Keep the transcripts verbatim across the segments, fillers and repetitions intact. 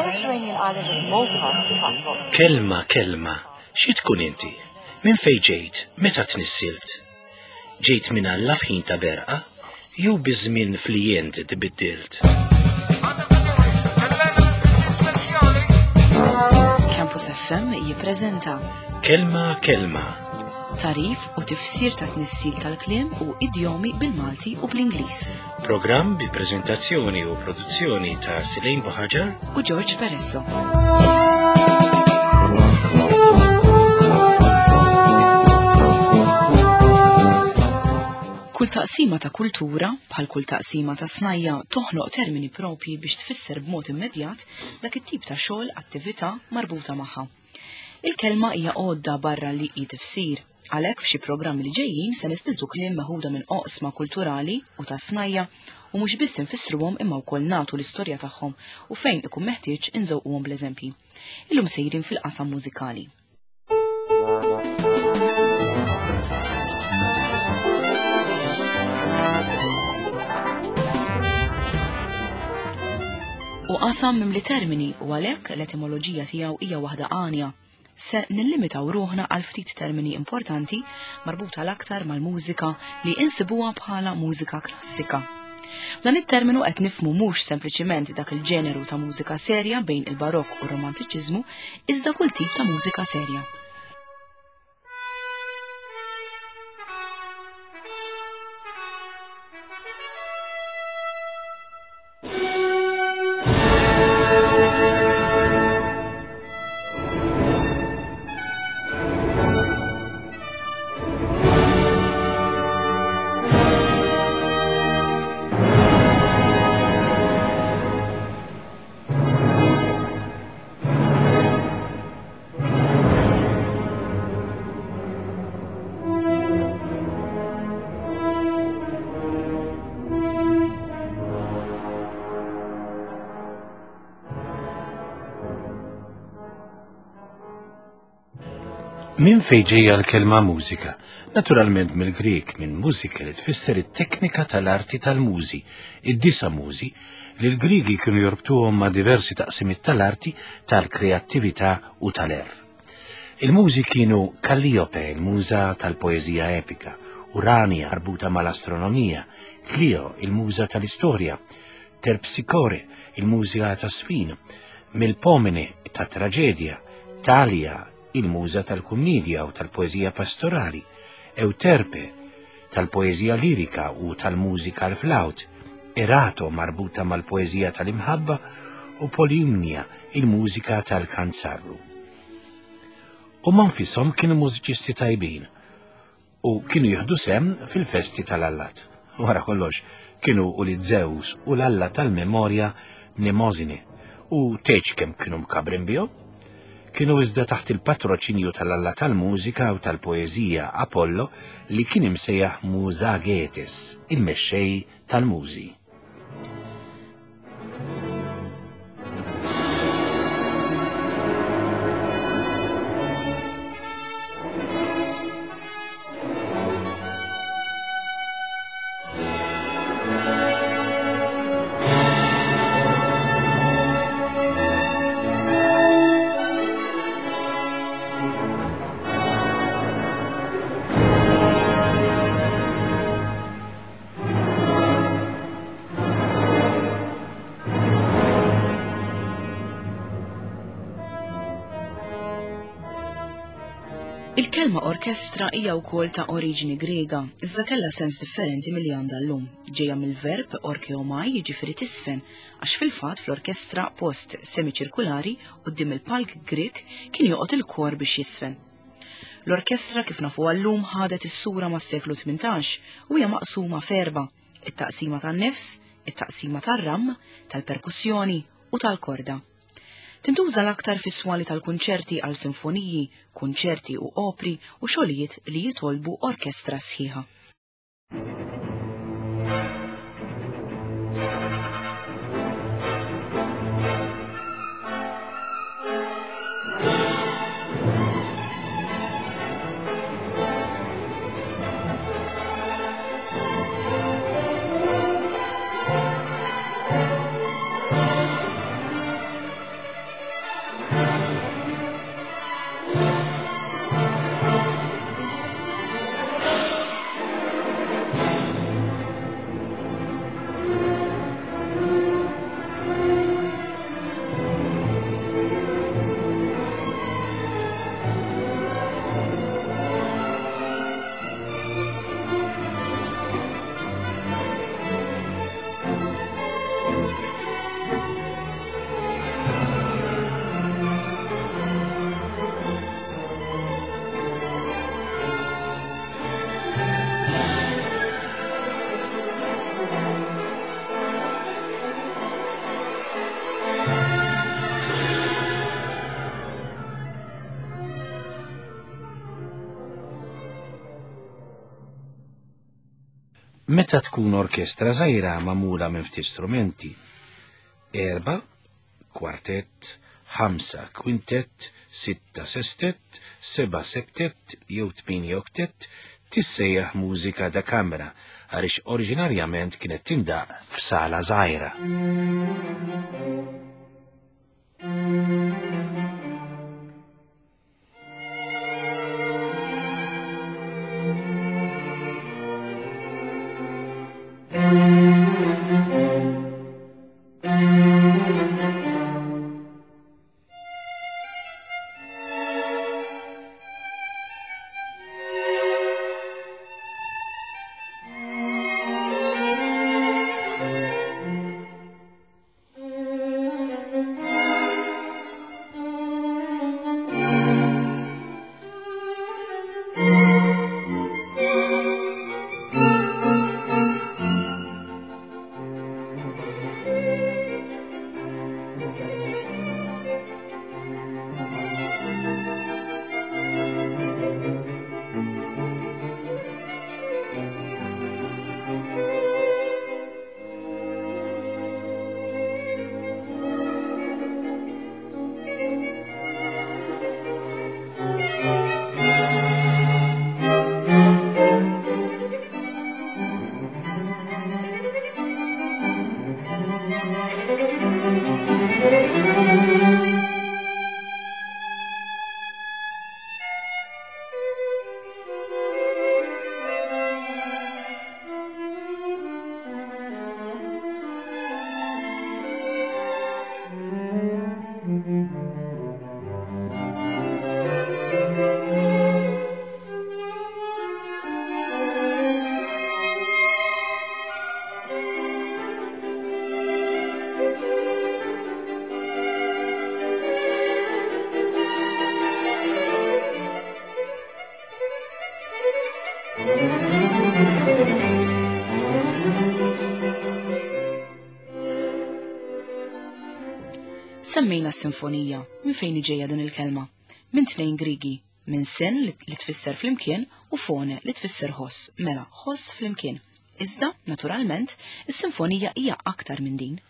Mediterranean island of Malta attracts lots Kelma, kelma, xi tkun inti? Minn fejn ġejt? Meta tnissilt? Ġejt minn Alla f'ħin ta' berqa? Jew biż-żmien flijent tbiddilt? Campus F M jippreżenta Kelma, kelma, tarif u tifsir ta' tnissil tal-kliem u idjomi bil-Malti u bl-Ingliż. Programm bi preżentazzjoni u produzzjoni ta' Silejn Buħaġar u George Peresso. Kull taqsima ta' kultura, bħal kull taqsima ta' snajja, toħloq termini propji biex tfisser b'mod immedjat dak it-tip ta' xogħol attività marbuta magħha. Il-kelma hija għodda barra li hi tifsir. Għalhekk f'xi programmi li ġejjin se nissiltu kliem meħuda minn oqsma kulturali u ta' snajja u mhux biss infissruhom imma wkoll nagħtu l-istorja tagħhom u fejn ikun meħtieġ inżewquhom bl-eżempji. Illum sejrin fil-qasam mużikali. U qasam mimli termini u għalhekk l-etimoloġija tiegħu hija waħda għanja. Se nillimitaw ruħna għal ftit termini importanti marbuta l-aktar mal-mużika li insibuha bħala mużika klassika. B'dan it-terminu qed nifhmu mhux sempliċiment dak il-ġeneru ta' mużika serja bejn il-barokk u r-romantiċiżmu, iżda kull tip ta' mużika serja. Min fejn ġejja l-kelma mużika? Naturalment mill-Grek, minn mużika li tfisser it-teknika tal-arti tal-mużi, id-disa mużi li l-Griegi kienu jorbtuhom ma' diversi taqsimiet tal-arti, tal-kreattività u tal-erf. Il-mużi kienu Kalliope, il-muża tal-poeżija epika, Urania marbuta mal-astronomija, Clio, il-muża tal-istorja, Terpsichore, il-muża tas-sfin, Melpomene tat-traġedja, Thalia, il-muża tal-kummedja u tal-poeżija pastorali, Euterpe, tal-poeżija lirika u tal-mużika l-flaut, Erato marbuta mal-poeżija tal-imħabba u Polimnia, il-mużika tal-kanzarru. U manfisom kienu mużiċisti tajbin u kienu jieħdu sem fil-festi tal-allat. Wara kollox, kienu u li Zeus u l-alla tal-memorja Mnemosine u teċ kemm kienu mkabrin bihom. Kienu iżda taħt il-patroċinju tal-alla tal-mużika u tal-poeżija Apollo li kien imsejjaħ Musagetes, il-mexxej tal-mużi. Il-kelma orkestra hija wkoll ta' oriġini Griega, iżda kellha sens differenti milli għandha llum. Ġejja mill-verb orkeomai, jiġifieri tisfen, għax fil-fatt fl-orkestra post semiċirkulari quddiem il-palk Grieg kien joqgħod il-kor biex jisfen. L-orkestra kif nafuha llum ħadet is-sura mas-seklu tmintax u hija maqsuma f'erba': it-taqsima tan-nifs, it-taqsima tar-ram, tal-perkussjoni u tal-korda. Tintuża l-aktar fis-swali tal-kunċerti għal sinfoniji, kunċerti u opri u xogħlijiet li jitolbu orkestra sħiħa. Meta tkun orkestra żgħira magħmula minn ftit strumenti, erba, kwartett, ħamsa kwintett, sitta sestett, seba septett jew tmienja oktett, tissejjaħ mużika da kamra għaliex oriġinarjament kienet tindaq f'sala żgħira. Semmejna s-sinfonija, minn fejn ġejja din il-kelma? Minn tnejn Grigi, minn sen li tfisser flimkien u fone li tfisser ħoss, mela ħoss flimkien. Iżda, naturalment, is-sinfonija hija aktar minn din.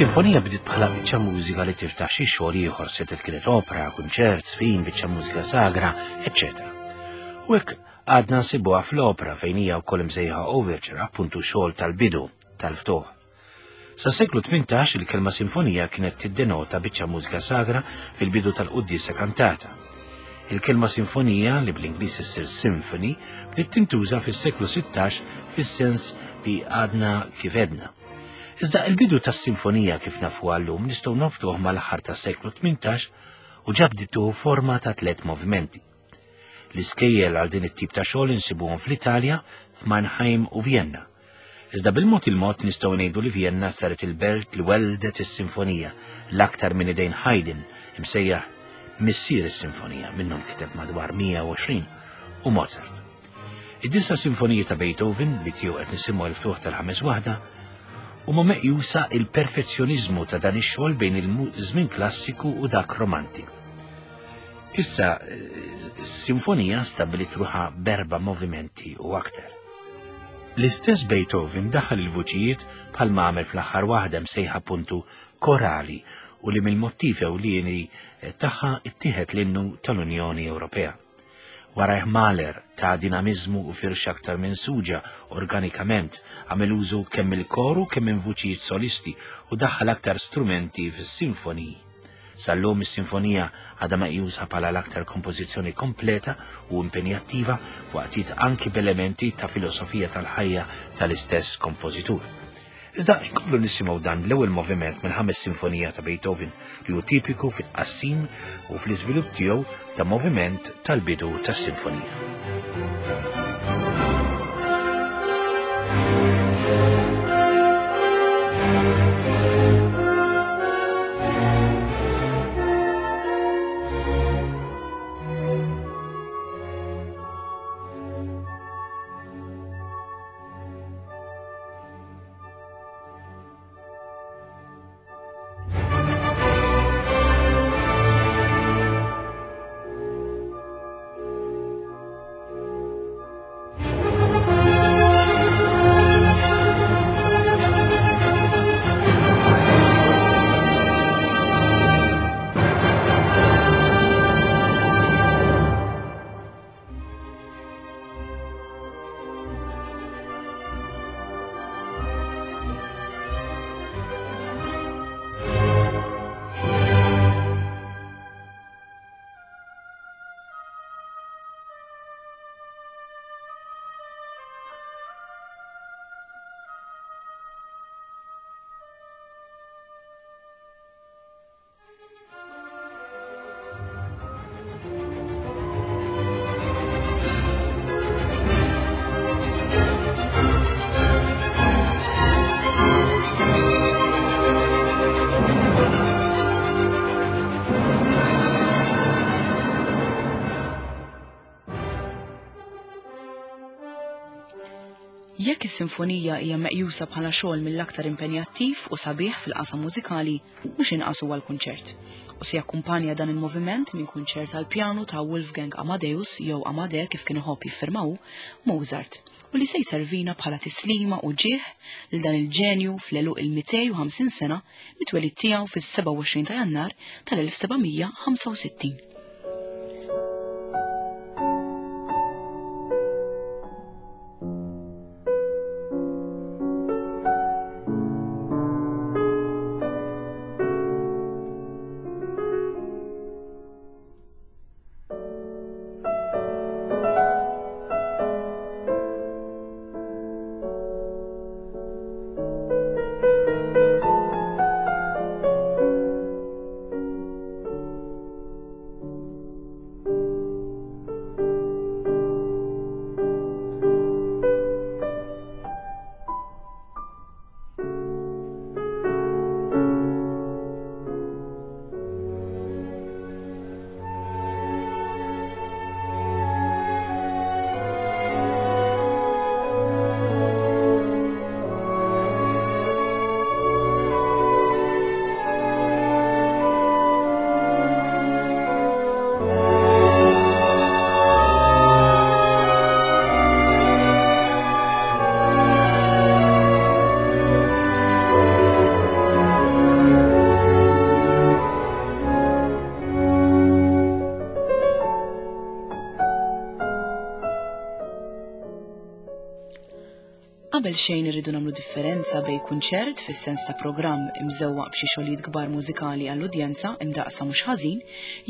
Is-sinfonija bdiet bħala biċċa mużika li tiftaħ xi xogħol ieħor, setgħet kienet opera, kunċert, żfin, biċċa mużika sagra, eċċetera. U hekk għadna nsibuha fl-opera fejn hija wkoll imsejħa overture, appuntu xogħol tal-bidu, tal-ftuħ. Sa seklu tmintax il-kelma sinfonija kienet tiddenota biċċa mużika sagra fil-bidu tal-quddiesa kantata. Il-kelma sinfonija, li bl-Ingliż issir symphony, bdiet tintuża fis-seklu sittax fis-sens li għadna kif edna. Iżda il-bidu tas-sinfonija kif nafu għallum nistgħu nobtuh mal-aħħar tas-seklu tmintax u ġabditu forma ta' tliet movimenti. L-iskejjel għal din it-tip ta' xogħol insibuhom fl-Italja, f'Mannheim u Vienna. Iżda bil-mod il-mod nistgħu ngħidu li Vienna saret il-belt li weldet is-sinfonija l-aktar minn idejn Haydn, imsejjaħ missier is-sinfonija, minnhom kiteb madwar mija u għoxrin, u Mozart. Id-disa sinfonija ta' Beethoven, li tiegħu qed nisimgħu l-ftuħ tal-ħames waħda, huma meqjusa il-perfezzjoniżmu ta' dan ix-xogħol bejn il-żmien klassiku u dak romantiku. Issa, s-sinfonija stabbilit ruħha b'erba' movimenti u aktar. L-istess Beethoven daħal il-vuċijiet bħalma għamel fl-aħħar waħda msejħa puntu korali u li mill-motiv ewlieni tagħha ittieħed l-innu tal-Unjoni Ewropea. Warajh Mahler ta' dinamizmu u firxa aktar minn suġa organikament, għamel użu kemm il-koru kemm minn vuċijiet solisti u daħħal aktar strumenti fis-sinfoniji. Sal-lum is-sinfonija għadha meqjusa bħala l-aktar kompożizzjoni kompleta u impenjattiva waqtiet anki b'elementi ta' filosofija tal-ħajja tal-istess kompożitur. Iżda nkomplu nisimgħu dan l-ewwel moviment mill-ħames sinfonija ta' Beethoven li hu tipiku fit-tqassim u fl-iżvilupp tiegħu ta' moviment tal-bidu tas-sinfonija. Jekk is-sinfonija hija meqjusa bħala xogħol mill-aktar impenjattiv u sabiħ fil-qasam mużikali, mhux inqas huwa l-kunċert. U se jakkumpanja dan il-moviment minn kunċert għal pjanu ta' Wolfgang Amadeus jew Amade kif kien iħobb jiffirmaw Mozart, u li se jservina bħala tislima u ġieħ lil dan il-ġenju fl-għeluq il-mitej u ħamsin sena mit-twelid tiegħu fis-seba' u għoxrin ta' Jannar tal-elf sebgħamija ħamsa u sittin. Qabel xejn irridu nagħmlu differenza bejn kunċert fis-sens ta' programm imżewwaq b'xi xogħlijiet kbar mużikali għall-udjenza imdaqsa mhux ħażin,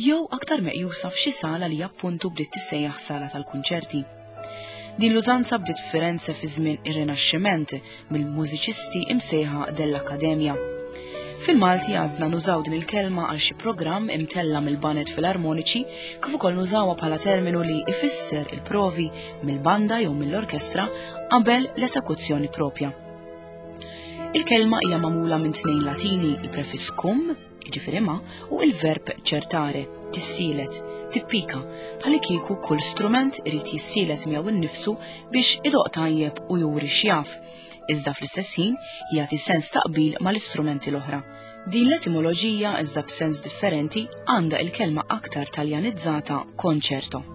jew aktar meqjusa f'xi sala li appuntu bdiet tissejjaħ sala tal-kunċerti. Din l-użanza bdiet f'Firenze fi żmien ir-Rinaxximent mill-mużiċisti imsejħa dell'Akkademja. Fil-Malti għadna nużaw din il-kelma għal xi programm imtella mill-banet filarmoniċi kif ukoll nużawha bħala terminu li ifisser il-provi mill-banda jew mill-orkestra qabel l-esekuzzjoni propja. Il-kelma hija magħmula minn tnejn Latini, il-prefiss cum, jiġifieri ma, u il-verb certare, tissielet, tippika, bħal kieku kull strument irid jissielet miegħu innifsu biex idoq tajjeb u juri x'jaf. Iżda fl-istess ħin jagħti sens ta' qbil mal-istrumenti l-oħra. Din l-etimoloġija iżda b'sens differenti għandha il-kelma aktar taljanizzata concerto.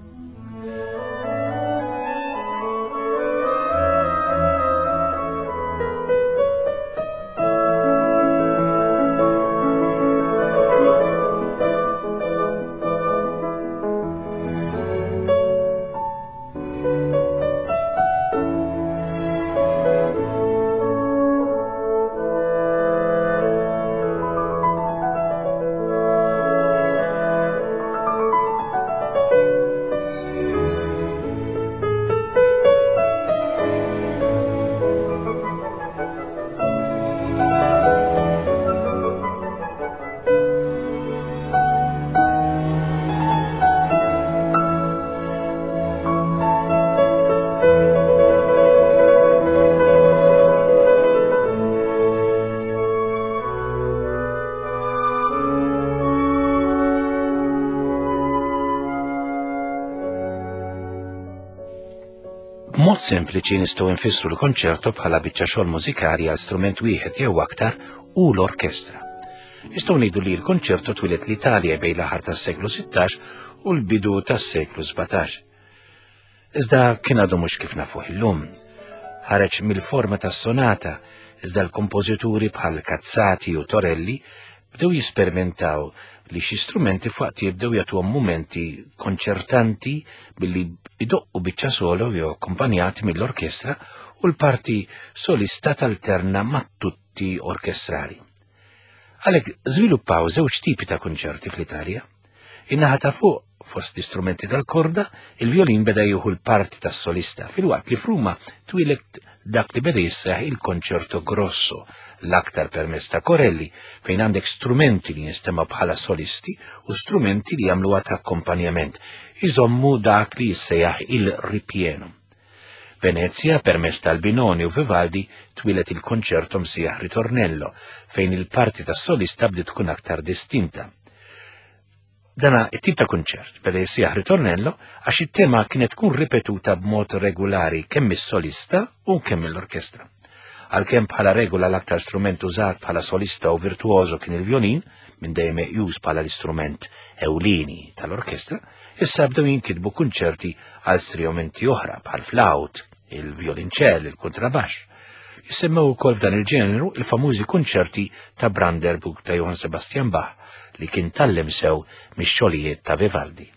B'mod sempliċi nistgħu nfissru l-konċerto bħala biċċa xogħol mużikali għal strument wieħed jew aktar u l-orkestra. Nistgħu ngħidu li l-konċerto twieled l-Italja bejn l-aħħar tas-seklu sittax u l-bidu tas-seklu sbatax. Iżda kien għadu mhux kif nafuh illum. Ħareġ mill-forma tas-sonata, iżda l-kompożituri bħal Cazzati u Torelli bdew jisperimentaw li xi strumenti f'waqt jibdew jagħtuhom mumenti konċertanti billi idoqqu biċċa solo jew akkumpanjati mill-orkestra u l-parti solista talterna ma' tutti orkestrali. Għalhekk żviluppaw żewġ tipi ta' konċerti fl-Italja. In-naħa ta' fuq, fost l-istrumenti tal-korda, il-violin beda jieħu l-parti tas-solista, filwaqt li f'Ruma twieled dak li beda jisseħ il-konċerto grosso, l-aktar permezz ta' Corelli, fejn għandek strumenti li jinstema' bħala solisti u strumenti li jagħmluha ta' akkompanjament, iżommu dak li jissejjaħ il-ripieno. Venezia, permezz tal-Binoni u Vivaldi, twieled il-konċerto msejjaħ ritornello, fejn il-parti tas-solista bdiet tkun aktar distinta. Dana it-tip ta' konċert beda jissejjaħ ritornello għax it-tema kienet tkun ripetuta b'mod regolari kemm is-solista u kemm l-orkestra. Għalkemm bħala regola l-aktar strument użat bħala solista u virtuoso kien il-violin, minn dejjem meqjus bħala l-istrument ewlieni tal-orkestra, issa bdew jinkitbu kunċerti għal strumenti oħra bħal flaut, il-violinċell, il-kontrabaxx. Jissemmew ukoll f'dan il-ġeneru il-famużi kunċerti ta' Brandenburg ta' Johann Sebastian Bach li kien tallem sew mix-xogħlijiet ta' Vivaldi.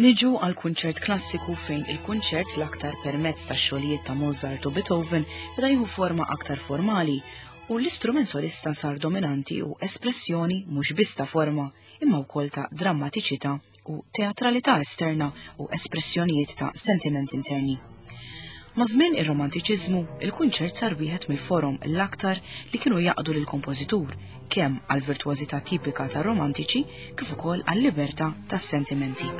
Niġu għal kunċert klassiku fejn il-kunċert l-aktar permezz ta' xogħlijiet ta' Mozart u Beethoven beda jieħu forma aktar formali u l-istrument solista sar dominanti u espressjoni mhux biss ta' forma imma wkoll ta' drammatiċità u teatralità esterna u espressjonijiet ta' sentiment interni. Ma' żmien ir-romantiċiżmu, il-kunċert sar wieħed mill-forom l-aktar li kienu jaqdu lill-kompożitur kemm għall-virtuożità tipika tar-romantiċi kif ukoll għall-libertà tas-sentimenti.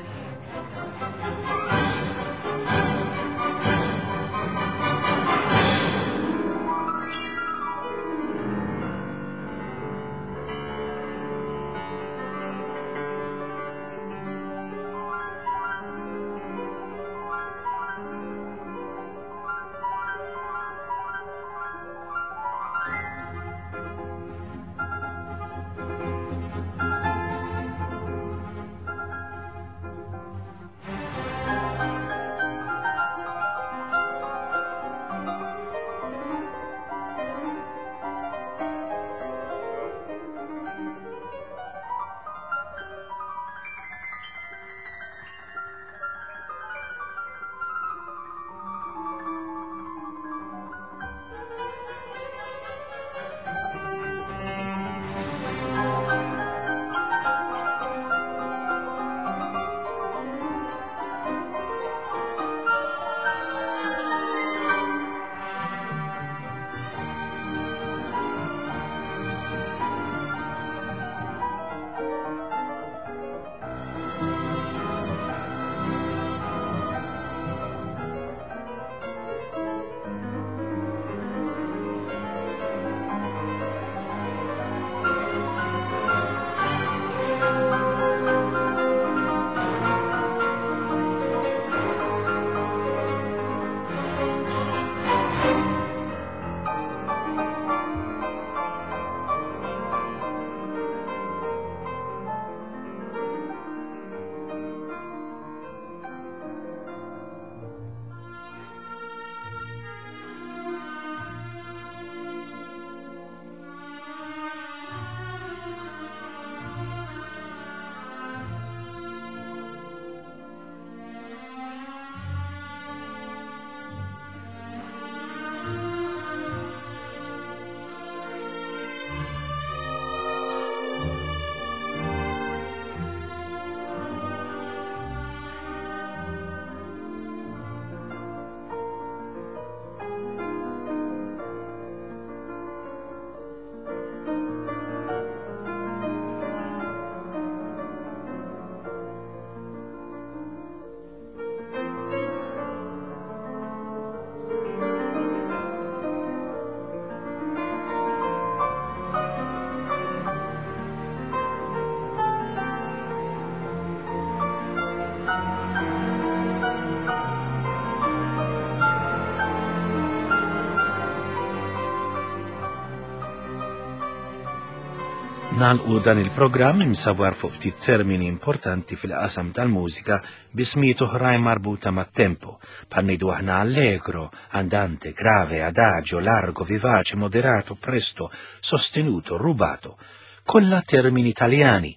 Nagħlqu dan il-programm imsawwar fuq ftit termini importanti fil-qasam tal-mużika b'ismijiet oħrajn marbuta mat-tempo, bħal ngħidu aħna allegro, andante, grave, adagio, largo, vivace, moderato, presto, sostenuto, rubato, kollha termini Taljani.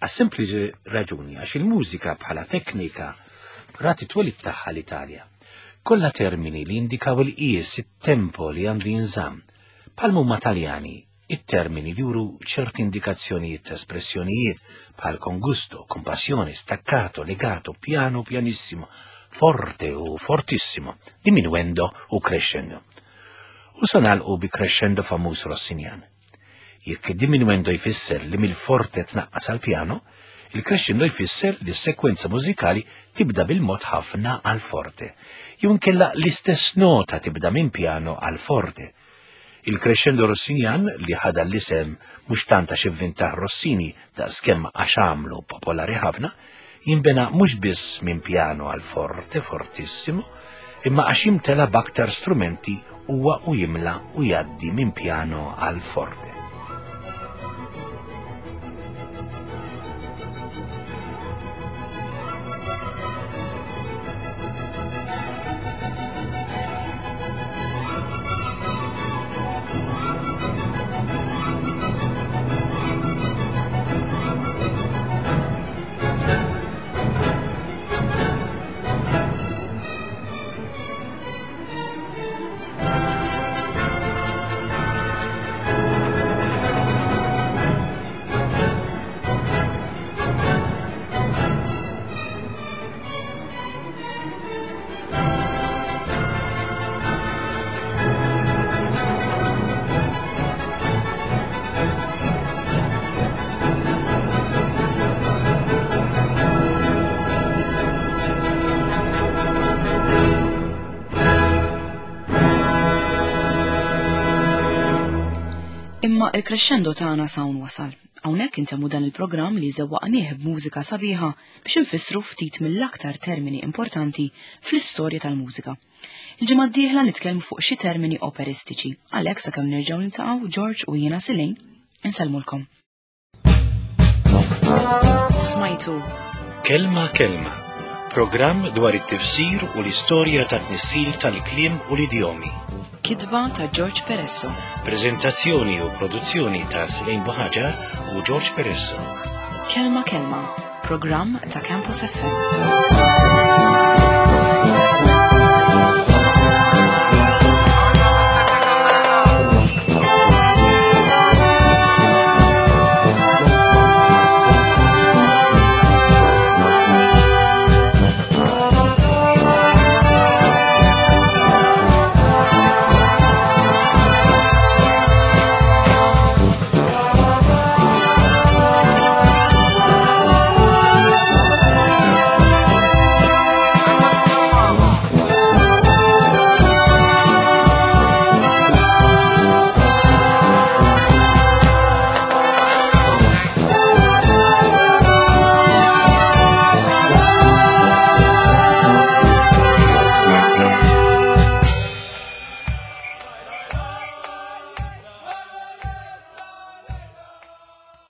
Għas-sempliċi raġuni għax il-mużika bħala teknika rat it-twelid tagħha l-Italja. Kollha termini li jindikaw il-qies, it-tempo li għandu jinżamm. Bħal huma Taljani, it-termini li juru ċerti indikazzjonijiet ta' espressjonijiet bħal con gusto, con passione, staccato, legato, piano, pianissimo, forte u fortissimo, diminuendo u crescendo. U sa nagħlqu bi crescendo famuż Rossinjan. Jekk diminuendo jfisser li mill-forte tnaqqas għal piano, il-crescendo jfisser li s-sekwenza mużikali tibda bil-mod ħafna għal forte. Jew inkella l-istess nota tibda minn piano għal forte. Il-crescendo Rossinjan li ħada l-isem mhux tant għax ivvintah Rossini daqskemm għax għamlu popolari ħafna, jinbena mhux biss minn piano għal forte, fortissimo, imma għax jimtela b'aktar strumenti huwa u jimla u jgħaddi minn piano għal forte. Imma il-crescendo tagħna s'hawn wasal. Hawnhekk intemmu dan il-programm li żewwaqnieh b'mużika sabiħa biex infissru ftit mill-aktar termini importanti fl-istorja tal-mużika. Il-ġimgħa d-dieħla nitkellmu fuq xi termini operistiċi. Għalhekk sakemm nerġgħu niltaqgħu George u jiena Silejn insellmulkom. Smajtu Kelma Kelma, programm dwar it-tifsir u l-istorja tat-tnissil tal-kliem u l-idjomi. Kitba ta' George Peresso. Prezentazzjoni u produzzjoni ta' Silejn Buħaġar u George Peresso. Kelma Kelma, programm ta' Campus F M.